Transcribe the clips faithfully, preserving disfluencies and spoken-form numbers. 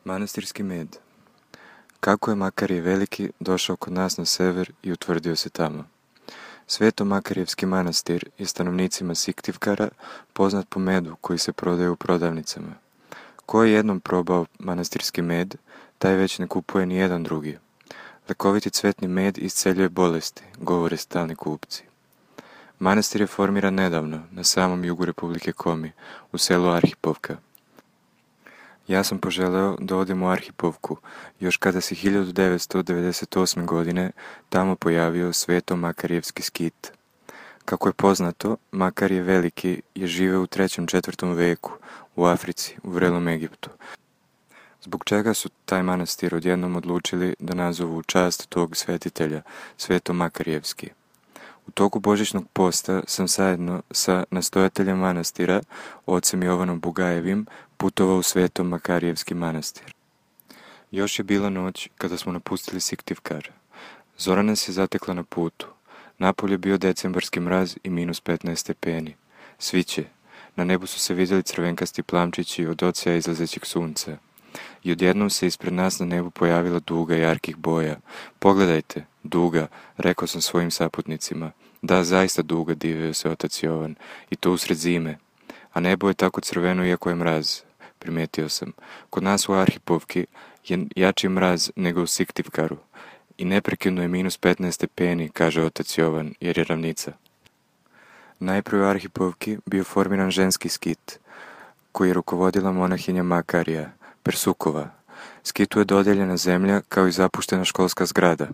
Manastirski med. Kako je Makarije Veliki došao kod nas na sever i utvrdio se tamo? Sveto Makarijevski manastir je stanovnicima Siktivkara poznat po medu koji se prodaje u prodavnicama. Ko je jednom probao manastirski med, taj već ne kupuje ni jedan drugi. Lekoviti cvetni med isceljuje bolesti, govore stalni kupci. Manastir je formiran nedavno, na samom jugu Republike Komi, u selu Arhipovka. Ja sam poželeo da odem u Arhipovku, još kada se hiljadu devetsto devedeset osme. godine tamo pojavio Sveto Makarijevski skit. Kako je poznato, Makarije Veliki je živeo u trećem četvrtom veku u Africi, u vrelom Egiptu. Zbog čega su taj manastir odjednom odlučili da nazovu u čast tog svetitelja, Sveto Makarijevski? U toku božićnog posta sam zajedno sa nastojateljem manastira, ocem Jovanom Bugajevim, putovao u Sveto Makarijevski manastir. Još je bila noć kada smo napustili Siktivkar. Zora nas je zatekla na putu. Napolje je bio decembarski mraz i minus petnaest stepeni. Sviće. Na nebu su se vidjeli crvenkasti plamčići od oceja izlazećeg sunca. I odjednom se ispred nas na nebu pojavila duga jarkih boja. Pogledajte, duga, rekao sam svojim saputnicima. Da, zaista duga, divio se otac Jovan. I to usred zime. A nebo je tako crveno iako je mraz. Primetio sam. Kod nas u Arhipovki je jači mraz nego u Siktivkaru. I neprekidno je minus petnaest stepeni, kaže otac Jovan, jer je ravnica. Najprije u Arhipovki bio formiran ženski skit, koji je rukovodila monahinja Makarija, Persukova. Skitu je dodijeljena zemlja kao i zapuštena školska zgrada,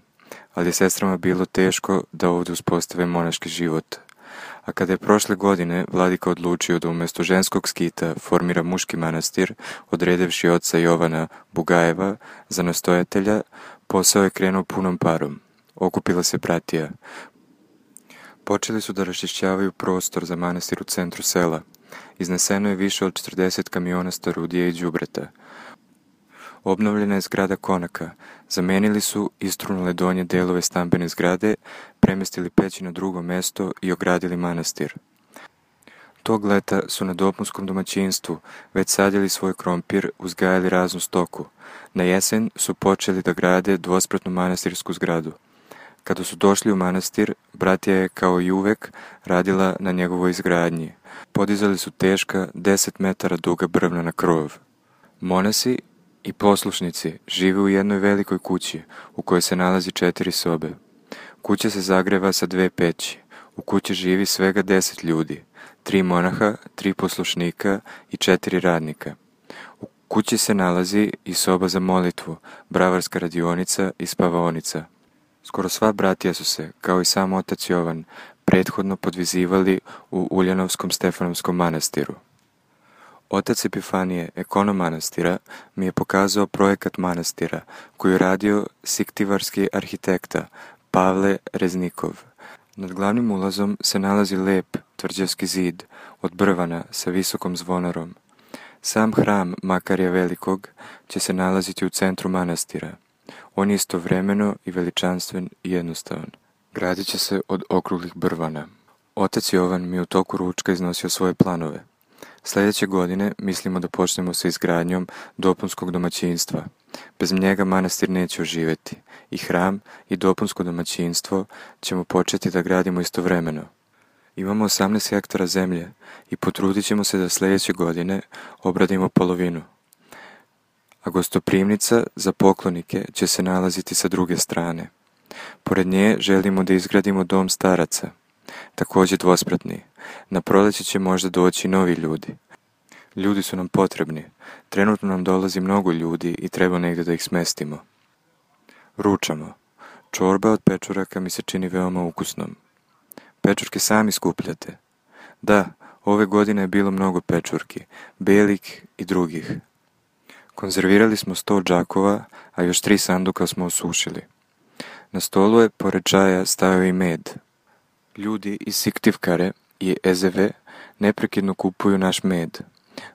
ali je sestrama bilo teško da ovdje uspostave monaški život. A kada je prošle godine vladika odlučio da umjesto ženskog skita formira muški manastir, odredevši oca Jovana Bugajeva za nastojatelja, posao je krenuo punom parom. Okupila se bratija. Počeli su da raščišćavaju prostor za manastir u centru sela. Izneseno je više od četrdeset kamiona starudije i đubreta. Obnovljena je zgrada konaka. Zamenili su istrunule donje delove stambene zgrade, premestili peći na drugo mesto i ogradili manastir. Tog leta su na dopunskom domaćinstvu već sadili svoj krompir, uzgajali raznu stoku. Na jesen su počeli da grade dvospratnu manastirsku zgradu. Kada su došli u manastir, bratija je kao i uvek radila na njegovoj izgradnji. Podizali su teška deset metara duga brvna na krov. Monasi i poslušnici žive u jednoj velikoj kući u kojoj se nalazi četiri sobe. Kuća se zagreva sa dve peći. U kući živi svega deset ljudi, tri monaha, tri poslušnika i četiri radnika. U kući se nalazi i soba za molitvu, bravarska radionica i spavaonica. Skoro sva bratija su se, kao i sam otac Jovan, prethodno podvizivali u Uljanovskom Stefanovskom manastiru. Otac Epifanije, ekonom manastira, mi je pokazao projekat manastira koji je radio siktivarski arhitekta Pavle Reznikov. Nad glavnim ulazom se nalazi lep tvrđavski zid od brvana sa visokom zvonarom. Sam hram Makarija Velikog će se nalaziti u centru manastira. On je istovremeno i veličanstven i jednostavan. Gradit će se od okruglih brvana. Otac Jovan mi u toku ručka iznosio svoje planove. Sljedeće godine mislimo da počnemo sa izgradnjom dopunskog domaćinstva. Bez njega manastir neće oživjeti. I hram i dopunsko domaćinstvo ćemo početi da gradimo istovremeno. Imamo osamnaest hektara zemlje i potrudit ćemo se da sljedeće godine obradimo polovinu. A gostoprimnica za poklonike će se nalaziti sa druge strane. Pored nje želimo da izgradimo dom staraca, također dvospratni. Na proljeće će možda doći novi ljudi. Ljudi su nam potrebni. Trenutno nam dolazi mnogo ljudi i treba negdje da ih smestimo. Ručamo. Čorba od pečuraka mi se čini veoma ukusnom. Pečurke sami skupljate. Da, ove godine je bilo mnogo pečurki, belih i drugih. Konzervirali smo sto džakova, a još tri sanduka smo osušili. Na stolu je pored čaja stajao i med. Ljudi iz Siktivkare i Ezeve neprekidno kupuju naš med.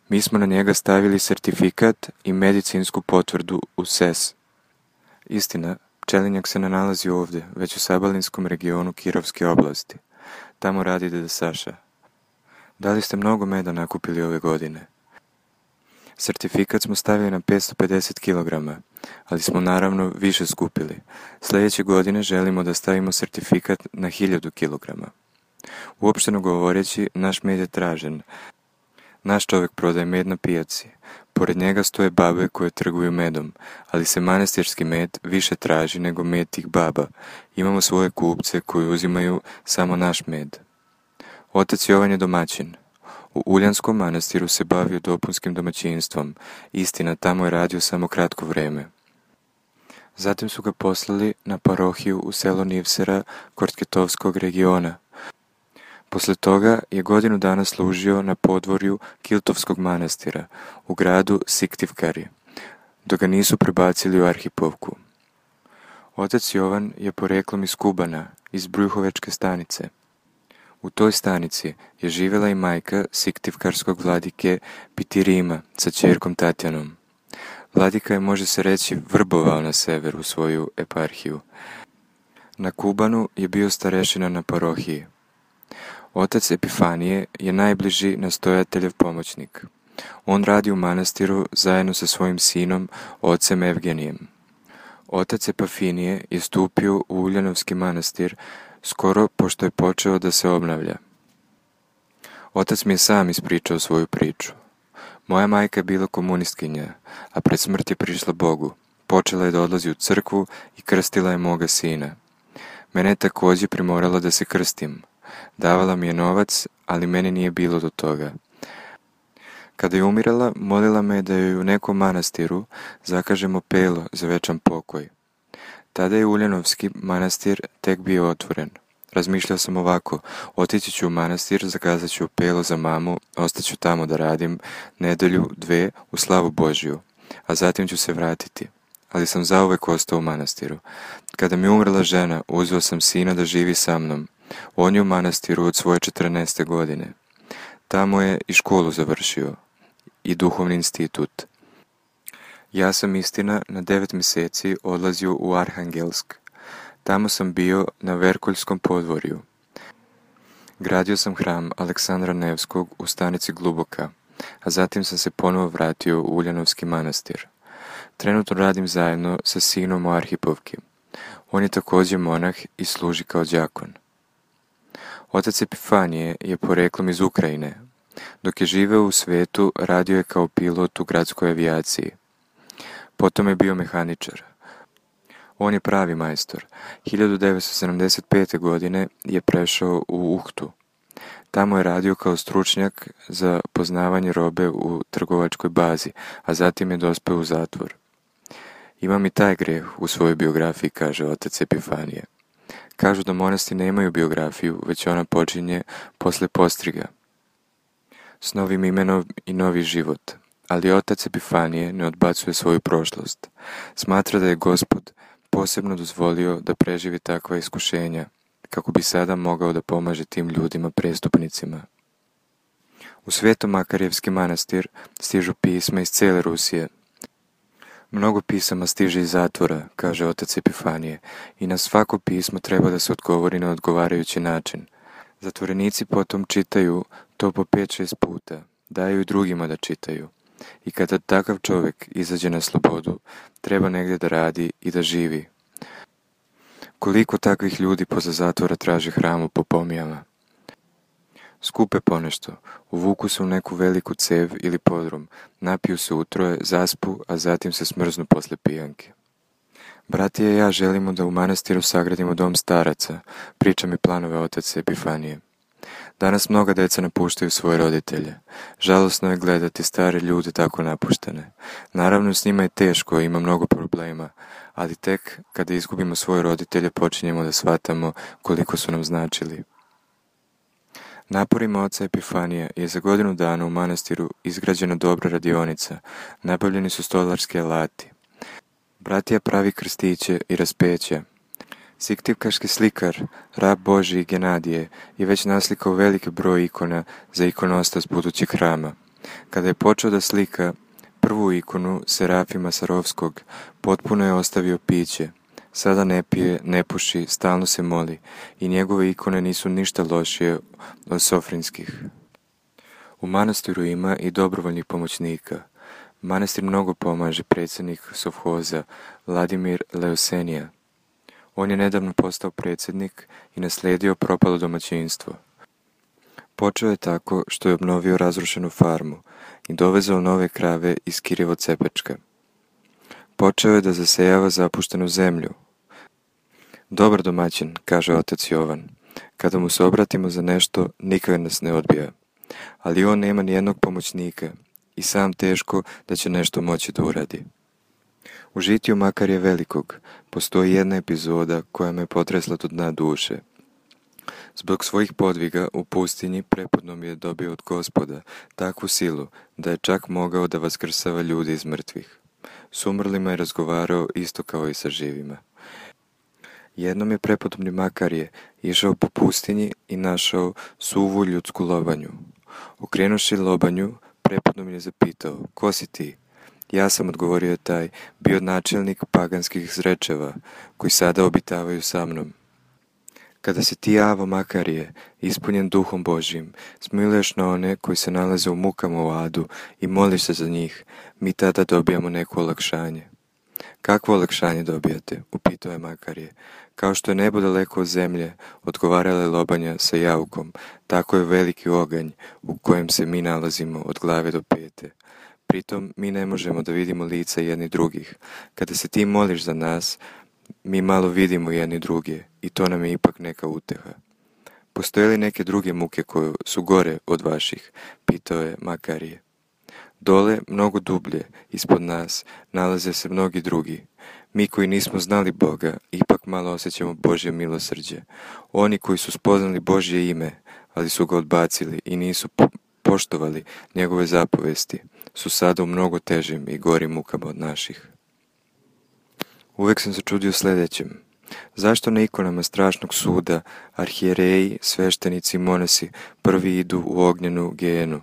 Mi smo na njega stavili sertifikat i medicinsku potvrdu u S E S. Istina, pčelinjak se ne nalazi ovdje, već u Sabalinskom regionu Kirovske oblasti. Tamo radi deda Saša. Da li ste mnogo meda nakupili ove godine? Sertifikat smo stavili na petsto pedeset kilograma, ali smo naravno više skupili. Sljedeće godine želimo da stavimo sertifikat na hiljadu kilograma. Uopšteno govoreći, naš med je tražen. Naš čovjek prodaje med na pijaci. Pored njega stoje babe koje trguju medom, ali se manastirski med više traži nego med tih baba. Imamo svoje kupce koji uzimaju samo naš med. Otac Jovan je domaćin. U Uljanskom manastiru se bavio dopunskim domaćinstvom. Istina, tamo je radio samo kratko vrijeme. Zatim su ga poslali na parohiju u selo Nivsera Kortketovskog regiona. Poslije toga je godinu dana služio na podvorju Kiltovskog manastira u gradu Siktivkari, dok ga nisu prebacili u Arhipovku. Otac Jovan je poreklom iz Kubana, iz Brjuhovečke stanice. U toj stanici je živjela i majka Siktivkarskog vladike Pitirima sa ćerkom Tatjanom. Vladika je, može se reći, vrbovao na sever u svoju eparhiju. Na Kubanu je bio starešina na parohiji. Otac Epifanije je najbliži nastojateljev pomoćnik. On radi u manastiru zajedno sa svojim sinom, ocem Evgenijem. Otac Epafinije je stupio u Uljanovski manastir skoro pošto je počeo da se obnavlja. Otac mi je sam ispričao svoju priču. Moja majka je bila komunistkinja, a pred smrt je prišla Bogu. Počela je da odlazi u crkvu i krstila je moga sina. Mene je također primorala da se krstim. Davala mi je novac, ali meni nije bilo do toga. Kada je umirala, molila me da joj u nekom manastiru zakažemo pelo za večan pokoj. Tada je Uljanovski manastir tek bio otvoren. Razmišljao sam ovako, otići ću u manastir, zakazat ću pelo za mamu, ostaću tamo da radim nedelju, dve, u slavu Božju, a zatim ću se vratiti. Ali sam zauvek ostao u manastiru. Kada mi umrla žena, uzeo sam sina da živi sa mnom. On je u manastiru od svoje četrnaeste godine. Tamo je i školu završio, i duhovni institut. Ja sam, istina, na devet mjeseci odlazio u Arhangelsk. Tamo sam bio na Verkoljskom podvorju. Gradio sam hram Aleksandra Nevskog u stanici Gluboka, a zatim sam se ponovo vratio u Uljanovski manastir. Trenutno radim zajedno sa sinom u Arhipovki. On je također monah i služi kao đakon. Otac Epifanije je poreklom iz Ukrajine. Dok je živeo u svetu, radio je kao pilot u gradskoj avijaciji. Potom je bio mehaničar. On je pravi majstor. hiljadu devetsto sedamdeset pete. godine je prešao u Uhtu. Tamo je radio kao stručnjak za poznavanje robe u trgovačkoj bazi, a zatim je dospeo u zatvor. Imam i taj greh u svojoj biografiji, kaže otac Epifanije. Kažu da monasti nemaju biografiju, već ona počinje posle postriga, s novim imenom i novi život. Ali otac Epifanije ne odbacuje svoju prošlost. Smatra da je Gospod posebno dozvolio da preživi takva iskušenja, kako bi sada mogao da pomaže tim ljudima prestupnicima. U Sveto-Makarjevski manastir stižu pisma iz cijele Rusije. Mnogo pisama stiže iz zatvora, kaže otac Epifanije, i na svako pismo treba da se odgovori na odgovarajući način. Zatvorenici potom čitaju to po pet šest puta, daju i drugima da čitaju. I kada takav čovjek izađe na slobodu, treba negdje da radi i da živi. Koliko takvih ljudi poza zatvora traži hranu po pomijama? Skupe ponešto, uvuku se u neku veliku cev ili podrum, napiju se utroje, zaspu, a zatim se smrznu posle pijanke. Bratije i ja želimo da u manastiru sagradimo dom staraca, priča mi planove otac Epifanije. Danas mnoga deca napuštaju svoje roditelje. Žalosno je gledati stare ljude tako napuštene. Naravno, s njima je teško, ima mnogo problema, ali tek kada izgubimo svoje roditelje počinjemo da shvatamo koliko su nam značili. Naporima oca Epifanija je za godinu dana u manastiru izgrađena dobra radionica, nabavljeni su stolarski alati. Bratija pravi krstiće i raspeća. Siktivkarski slikar, rab Božji Genadije, je već naslikao veliki broj ikona za ikonostas budućeg hrama. Kada je počeo da slika prvu ikonu Serafima Sarovskog, potpuno je ostavio piće. Sada ne pije, ne puši, stalno se moli i njegove ikone nisu ništa lošije od sofrinskih. U manastiru ima i dobrovoljnih pomoćnika. Manastir mnogo pomaže predsjednik sovhoza Vladimir Leusenija. On je nedavno postao predsjednik i naslijedio propalo domaćinstvo. Počeo je tako što je obnovio razrušenu farmu i dovezao nove krave iz Kirjevo-Cepečka. Počeo je da zasejava zapuštenu zemlju. Dobar domaćin, kaže otac Jovan, kada mu se obratimo za nešto, nikad nas ne odbija. Ali on nema ni jednog pomoćnika i sam teško da će nešto moći da uradi. U žitiju Makarija Velikog postoji jedna epizoda koja me potresla do dna duše. Zbog svojih podviga u pustinji prepodnom je dobio od Gospoda takvu silu da je čak mogao da vaskrsava ljudi iz mrtvih. S umrlima je razgovarao isto kao i sa živima. Jednom je prepodobni Makarije išao po pustinji i našao suvu ljudsku lobanju. Okrenuši lobanju, prepodobni je zapitao: ko si ti? Ja sam, odgovorio je taj, bio načelnik paganskih zrečeva, koji sada obitavaju sa mnom. Kada se ti, Avo Makarije, ispunjen duhom Božjim, smiluješ na one koji se nalaze u mukama u adu i moliš se za njih, mi tada dobijamo neko olakšanje. Kakvo olakšanje dobijate? Upitao je Makarije. Kao što je nebo daleko od zemlje, odgovarala je lobanja sa jaukom, tako je veliki oganj u kojem se mi nalazimo od glave do pete. Pritom mi ne možemo da vidimo lica jedni drugih. Kada se ti moliš za nas, mi malo vidimo jedni druge i to nam je ipak neka uteha. Postoje li neke druge muke koje su gore od vaših? Pitao je Makarije. Dole, mnogo dublje, ispod nas, nalaze se mnogi drugi. Mi koji nismo znali Boga, ipak malo osjećamo Božje milosrđe. Oni koji su spoznali Božje ime, ali su ga odbacili i nisu po- poštovali njegove zapovesti, su sada u mnogo težim i gorim mukama od naših. Uvek sam se čudio sljedećem. Zašto na ikonama strašnog suda arhijereji, sveštenici i monasi prvi idu u ognjenu gejenu?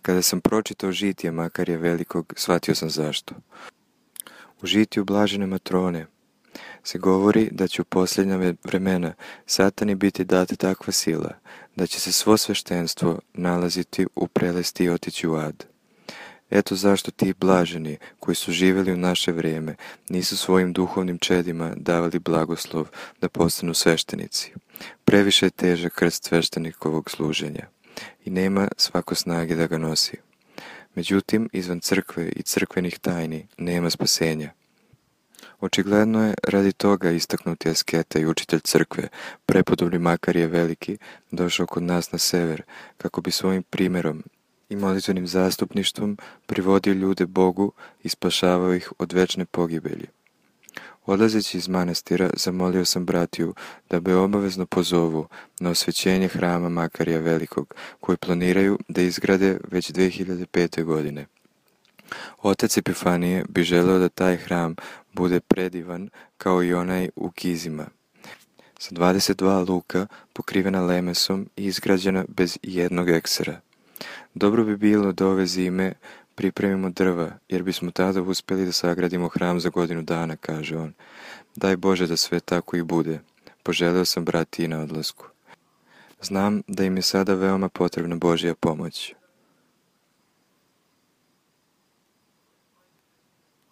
Kada sam pročitao žitije Makarija Velikog, shvatio sam zašto. U žitiju Blažene Matrone se govori da će u posljednja vremena Satani biti data takva sila, da će se svo sveštenstvo nalaziti u prelesti i otići u ad. Eto zašto ti blaženi, koji su živjeli u naše vrijeme, nisu svojim duhovnim čedima davali blagoslov da postanu sveštenici. Previše je težak krst sveštenikovog služenja i nema svako snage da ga nosi. Međutim, izvan crkve i crkvenih tajni nema spasenja. Očigledno je radi toga istaknuti asketa i učitelj crkve, prepodobni Makarije Veliki, došao kod nas na sever, kako bi svojim primjerom i molitvenim zastupništvom privodio ljude Bogu i spašavao ih od večne pogibelji. Odlazeći iz manastira, zamolio sam bratiju da me obavezno pozovu na osvećenje hrama Makarija Velikog, koji planiraju da izgrade već dve hiljade pete. godine. Otac Epifanije bi želeo da taj hram bude predivan kao i onaj u Kizima, sa dvadeset dva luka pokrivena lemesom i izgrađena bez jednog eksera. Dobro bi bilo da ove zime pripremimo drva, jer bismo tada uspjeli da sagradimo hram za godinu dana, kaže on. Daj Bože da sve tako i bude. Poželeo sam brati i na odlasku. Znam da im je sada veoma potrebna Božja pomoć.